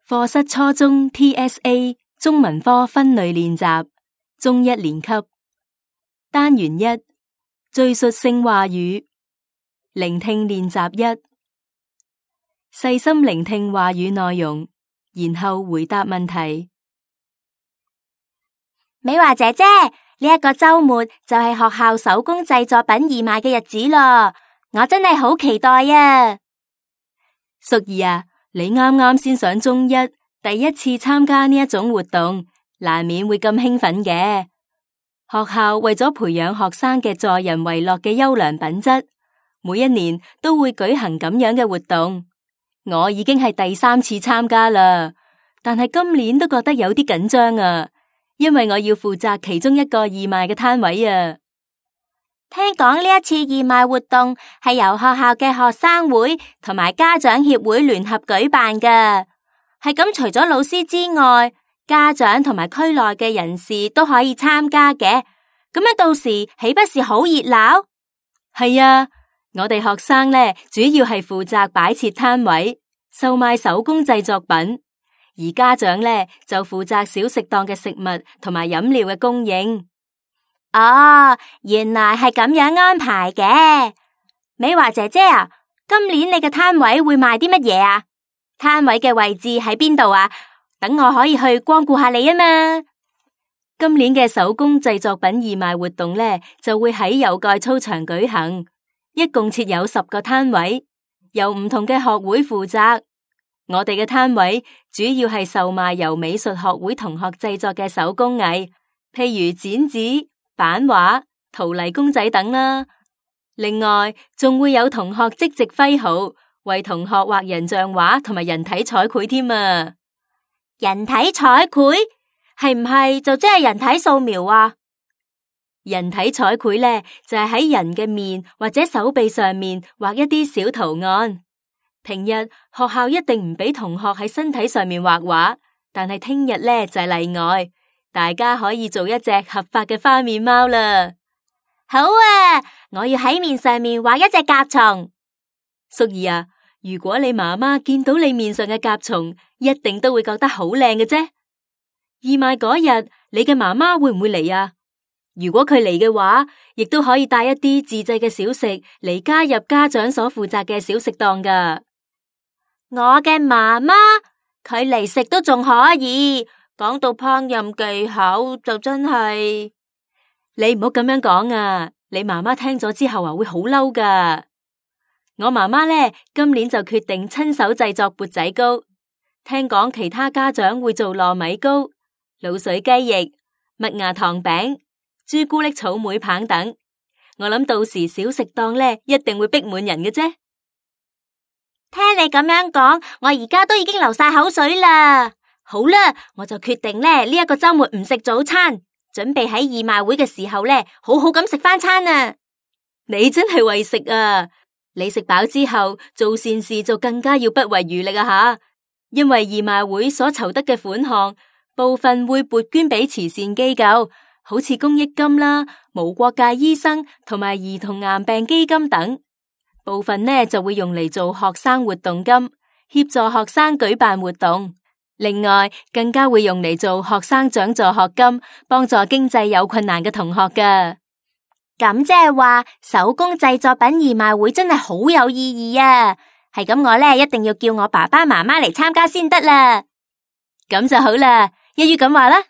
課室初中 TSA 中文科分類練習，中一年級，單元1，敘述性話語，聆聽練習1，細心聆聽話語內容，然後回答問題。美華姐姐，呢一個周末就係學校手工製作品義賣嘅日子咯，我真係好期待啊！淑儀啊，你啱啱先上中一，第一次參加呢一種活動，難免會咁興奮嘅。學校為咗培養學生嘅助人為樂嘅優良品質，每一年都會舉行咁樣嘅活動。我已經係第3次參加啦，但係今年都覺得有啲緊張啊，因為我要負責其中一個義賣嘅攤位啊。聽講呢一次義賣活動係由學校嘅學生會同埋家長協會聯合舉辦㗎，係咁除咗老師之外，家長同埋區內嘅人士都可以參加嘅，咁樣到時豈不是好熱鬧？係啊，我哋學生呢，主要係負責擺設攤位，售賣手工製作品，而家長呢，就負責小食檔嘅食物同埋飲料嘅供應。哦，原來係咁樣安排嘅。美華姐姐啊，今年你嘅攤位會賣啲乜嘢啊？攤位嘅位置喺邊度啊？等我可以去光顧下你啊嘛。今年嘅手工製作品義賣活動呢，就會喺有蓋操場舉行，一共設有10個攤位，由唔同嘅學會負責。我哋嘅攤位主要係售賣由美術學會同學製作嘅手工藝，譬如剪紙、版畫、陶泥公仔等啦。另外，仲會有同學即席揮毫，為同學畫人像畫同埋人體彩繪添啊！人體彩繪係唔係就即係人體素描啊？人體彩繪呢，就係喺人嘅面或者手臂上面畫一啲小圖案。平日學校一定唔俾同學喺身體上面畫畫，但係聽日呢，就係例外。大家可以做一隻合法嘅花面貓啦！好啊，我要喺面上面畫一隻甲蟲。淑儀啊，如果你媽媽見到你面上嘅甲蟲，一定都會覺得好靚嘅啫。義賣嗰日，你嘅媽媽會唔會嚟啊？如果佢嚟嘅話，亦都可以帶一啲自製嘅小食嚟加入家長所負責嘅小食檔噶。我嘅媽媽，佢嚟食都仲可以。講到烹飪技巧就真係，你唔好咁樣講啊！你媽媽聽咗之後會好嬲噶。我媽媽呢，今年就決定親手製作缽仔糕。聽講其他家長會做糯米糕、滷水雞翼、麥芽糖餅、朱古力草莓棒等。我諗到時小食檔呢，一定會逼滿人嘅啫。聽你咁樣講，我而家都已經流晒口水啦。好啦，我就決定呢一個周末唔食早餐，準備喺義賣會嘅時候呢，好好咁食返餐啊！你真係為食啊！你食飽之後做善事就更加要不遺餘力啊吓！因為義賣會所籌得嘅款項，部分會撥捐俾慈善機構，好似公益金啦、無國界醫生同埋兒童癌病基金等；部分呢就會用嚟做學生活動金，協助學生舉辦活動。另外，更加會用嚟做學生獎助學金，幫助經濟有困難嘅同學㗎。咁即係話，手工製作品義賣會真係好有意義啊！係咁，我呢一定要叫我爸爸媽媽嚟參加先得啦。咁就好啦，一於咁話啦。